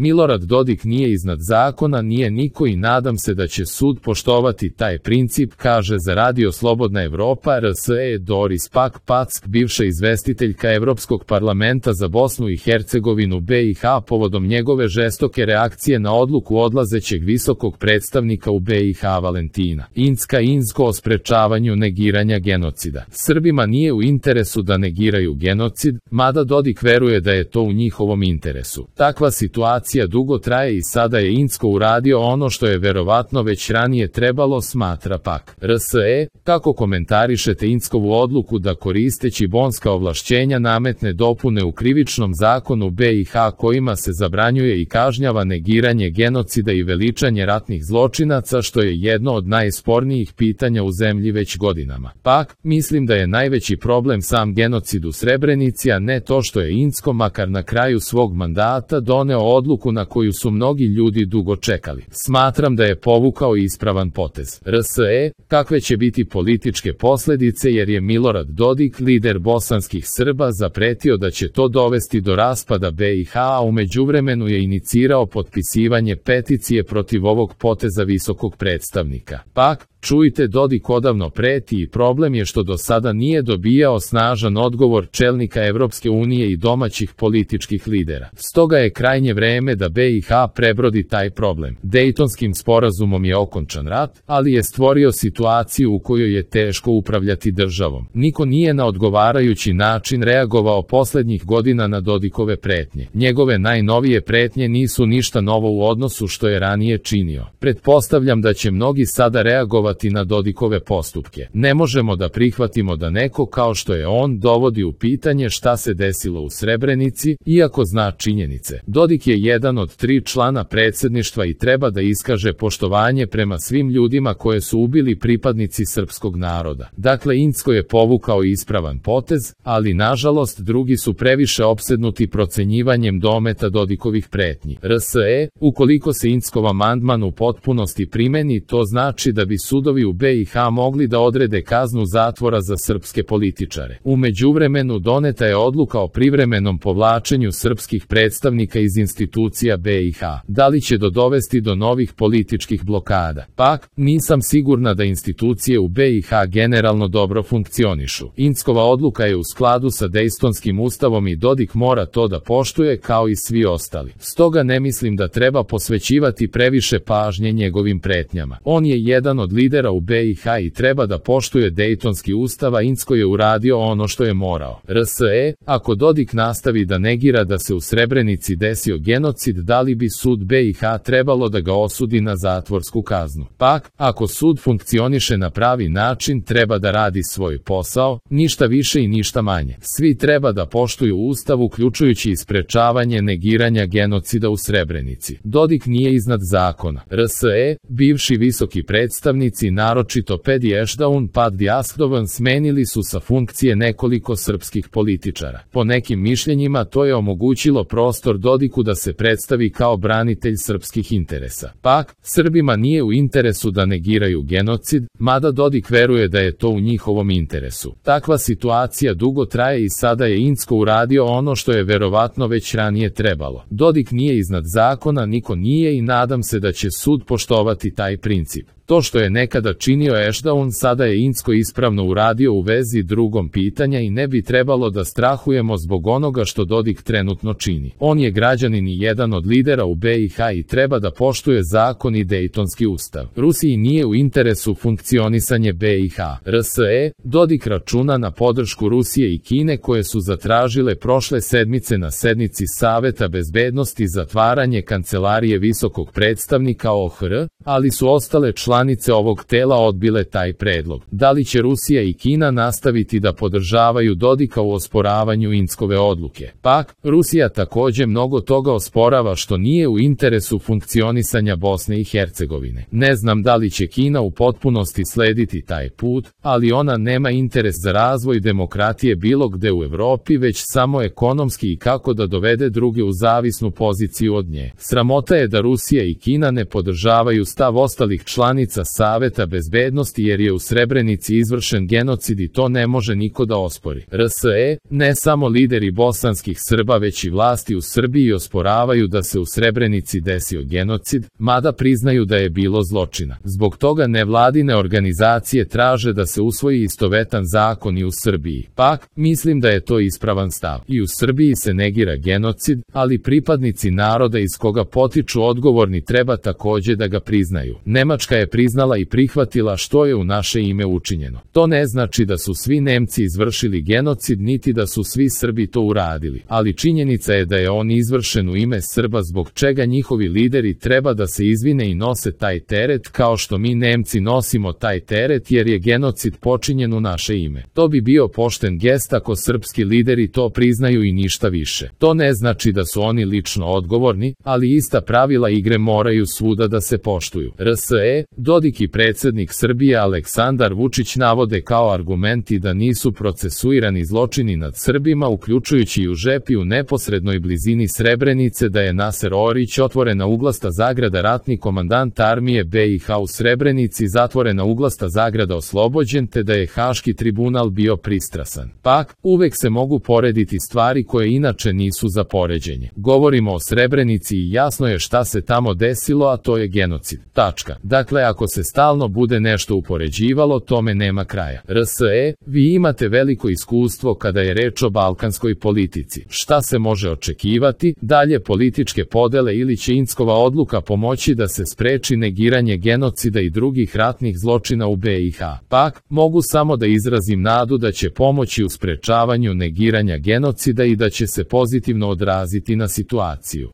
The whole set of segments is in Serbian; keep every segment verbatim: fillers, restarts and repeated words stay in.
Milorad Dodik nije iznad zakona, nije niko i nadam se da će sud poštovati taj princip, kaže za Radio Slobodna Evropa R S E Doris Pak Pack, bivša izvestiteljka Evropskog parlamenta za Bosnu i Hercegovinu B i H povodom njegove žestoke reakcije na odluku odlazećeg visokog predstavnika u B i H Valentina Incka Inzko o sprečavanju negiranja genocida. Srbima nije u interesu da negiraju genocid, mada Dodik veruje da je to u njihovom interesu. Takva situacija dugo traje i sada je Incko uradio ono što je verovatno već ranije trebalo, smatra Pak. R S E, kako komentarišete Inckovu odluku da koristeći bonska ovlašćenja nametne dopune u krivičnom zakonu B i H kojima se zabranjuje i kažnjava negiranje genocida i veličanje ratnih zločinaca, što je jedno od najspornijih pitanja u zemlji već godinama. Pak, mislim da je najveći problem sam genocid u Srebrenici, a ne to što je Incko makar na kraju svog mandata doneo odluku na koju su mnogi ljudi dugo čekali. Smatram da je povukao ispravan potez. R S E, kakve će biti političke posljedice jer je Milorad Dodik, lider bosanskih Srba, zapretio da će to dovesti do raspada B i H, a u međuvremenu je inicirao potpisivanje peticije protiv ovog poteza visokog predstavnika. Pak, čujte, Dodik odavno preti i problem je što do sada nije dobijao snažan odgovor čelnika Evropske unije i domaćih političkih lidera. Stoga je krajnje vreme da B i H prebrodi taj problem. Dejtonskim sporazumom je okončan rat, ali je stvorio situaciju u kojoj je teško upravljati državom. Niko nije na odgovarajući način reagovao poslednjih godina na Dodikove pretnje. Njegove najnovije pretnje nisu ništa novo u odnosu što je ranije činio. Pretpostavljam da će mnogi sada reagovati na Dodikove postupke. Ne možemo da prihvatimo da neko kao što je on dovodi u pitanje šta se desilo u Srebrenici, iako zna činjenice. Dodik je jedan od tri člana predsjedništva i treba da iskaže poštovanje prema svim ljudima koje su ubili pripadnici srpskog naroda. Dakle, Incko je povukao ispravan potez, ali nažalost drugi su previše opsednuti procenjivanjem dometa Dodikovih pretnji. R S E, ukoliko se Inckov amandman u potpunosti primeni, to znači da bi sudovi u B i H mogli da odrede kaznu zatvora za srpske političare. U međuvremenu doneta je odluka o privremenom povlačenju srpskih predstavnika iz institucija B i H. Da li će dovesti do novih političkih blokada? Pak, nisam sigurna da institucije u B i H generalno dobro funkcionišu. Inckova odluka je u skladu sa Dejtonskim ustavom i Dodik mora to da poštuje kao i svi ostali. Stoga ne mislim da treba posvećivati previše pažnje njegovim pretnjama. On je jedan od lidera u B i H i treba da poštuje Dejtonski ustav, a Incko je uradio ono što je morao. R S E, ako Dodik nastavi da negira da se u Srebrenici desio genocid, da li bi sud B i H trebalo da ga osudi na zatvorsku kaznu? Pak, ako sud funkcioniše na pravi način, treba da radi svoj posao, ništa više i ništa manje. Svi treba da poštuju ustav, uključujući i sprečavanje negiranja genocida u Srebrenici. Dodik nije iznad zakona. R S E, bivši visoki predstavnici, naročito Pedi Ešdaun Pad Djaskdovan, smenili su sa funkcije nekoliko srpskih političara. Po nekim mišljenjima to je omogućilo prostor Dodiku da se predstavi kao branitelj srpskih interesa. Pak, Srbima nije u interesu da negiraju genocid, mada Dodik veruje da je to u njihovom interesu. Takva situacija dugo traje i sada je Incko uradio ono što je verovatno već ranije trebalo. Dodik nije iznad zakona, niko nije i nadam se da će sud poštovati taj princip. To što je nekada činio Ešdaun, sada je Incko ispravno uradio u vezi drugom pitanja i ne bi trebalo da strahujemo zbog onoga što Dodik trenutno čini. On je građanin i jedan od lidera u B i H i treba da poštuje zakon i Dejtonski ustav. Rusiji nije u interesu funkcionisanje B i H. R S E, Dodik računa na podršku Rusije i Kine koje su zatražile prošle sedmice na sednici Saveta bezbednosti zatvaranje kancelarije visokog predstavnika O H R, ali su ostale članice ovog tela odbile taj predlog. Da li će Rusija i Kina nastaviti da podržavaju Dodika u osporavanju Inckove odluke? Pak, Rusija takođe mnogo toga osporava što nije u interesu funkcionisanja Bosne i Hercegovine. Ne znam da li će Kina u potpunosti slediti taj put, ali ona nema interes za razvoj demokratije bilo gde u Evropi, već samo ekonomski i kako da dovede druge u zavisnu poziciju od nje. Sramota je da Rusija i Kina ne podržavaju stav ostalih članica članica Saveta bezbednosti jer je u Srebrenici izvršen genocid i to ne može niko da ospori. R S E, ne samo lideri bosanskih Srba već i vlasti u Srbiji osporavaju da se u Srebrenici desio genocid, mada priznaju da je bilo zločina. Zbog toga nevladine organizacije traže da se usvoji istovetan zakon i u Srbiji. Pak, mislim da je to ispravan stav. I u Srbiji se negira genocid, ali pripadnici naroda iz koga potiču odgovorni treba takođe da ga priznaju. Nemačka je priznala i prihvatila što je u naše ime učinjeno. To ne znači da su svi Nemci izvršili genocid niti da su svi Srbi to uradili, ali činjenica je da je on izvršen u ime Srba zbog čega njihovi lideri treba da se izvine i nose taj teret kao što mi Nemci nosimo taj teret jer je genocid počinjen u naše ime. To bi bio pošten gest ako srpski lideri to priznaju i ništa više. To ne znači da su oni lično odgovorni, ali ista pravila igre moraju svuda da se poštuju. R S E, Dodik i predsjednik Srbije Aleksandar Vučić navode kao argumenti da nisu procesuirani zločini nad Srbima uključujući i u Žepi u neposrednoj blizini Srebrenice da je Naser Orić otvorena uglasta zagrada ratni komandant armije B i H u Srebrenici zatvorena uglasta zagrada oslobođen te da je Haški tribunal bio pristrasan. Pak, uvek se mogu porediti stvari koje inače nisu za poređenje. Govorimo o Srebrenici i jasno je šta se tamo desilo, a to je genocid. Tačka. Dakle, ako se stalno bude nešto upoređivalo, tome nema kraja. R S E, vi imate veliko iskustvo kada je reč o balkanskoj politici. Šta se može očekivati? Dalje političke podele ili će Inckova odluka pomoći da se spreči negiranje genocida i drugih ratnih zločina u B i H. Pak, mogu samo da izrazim nadu da će pomoći u sprečavanju negiranja genocida i da će se pozitivno odraziti na situaciju.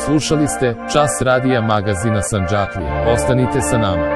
Slušali ste Čas radija magazina Sandžaklija. Ostanite sa nama.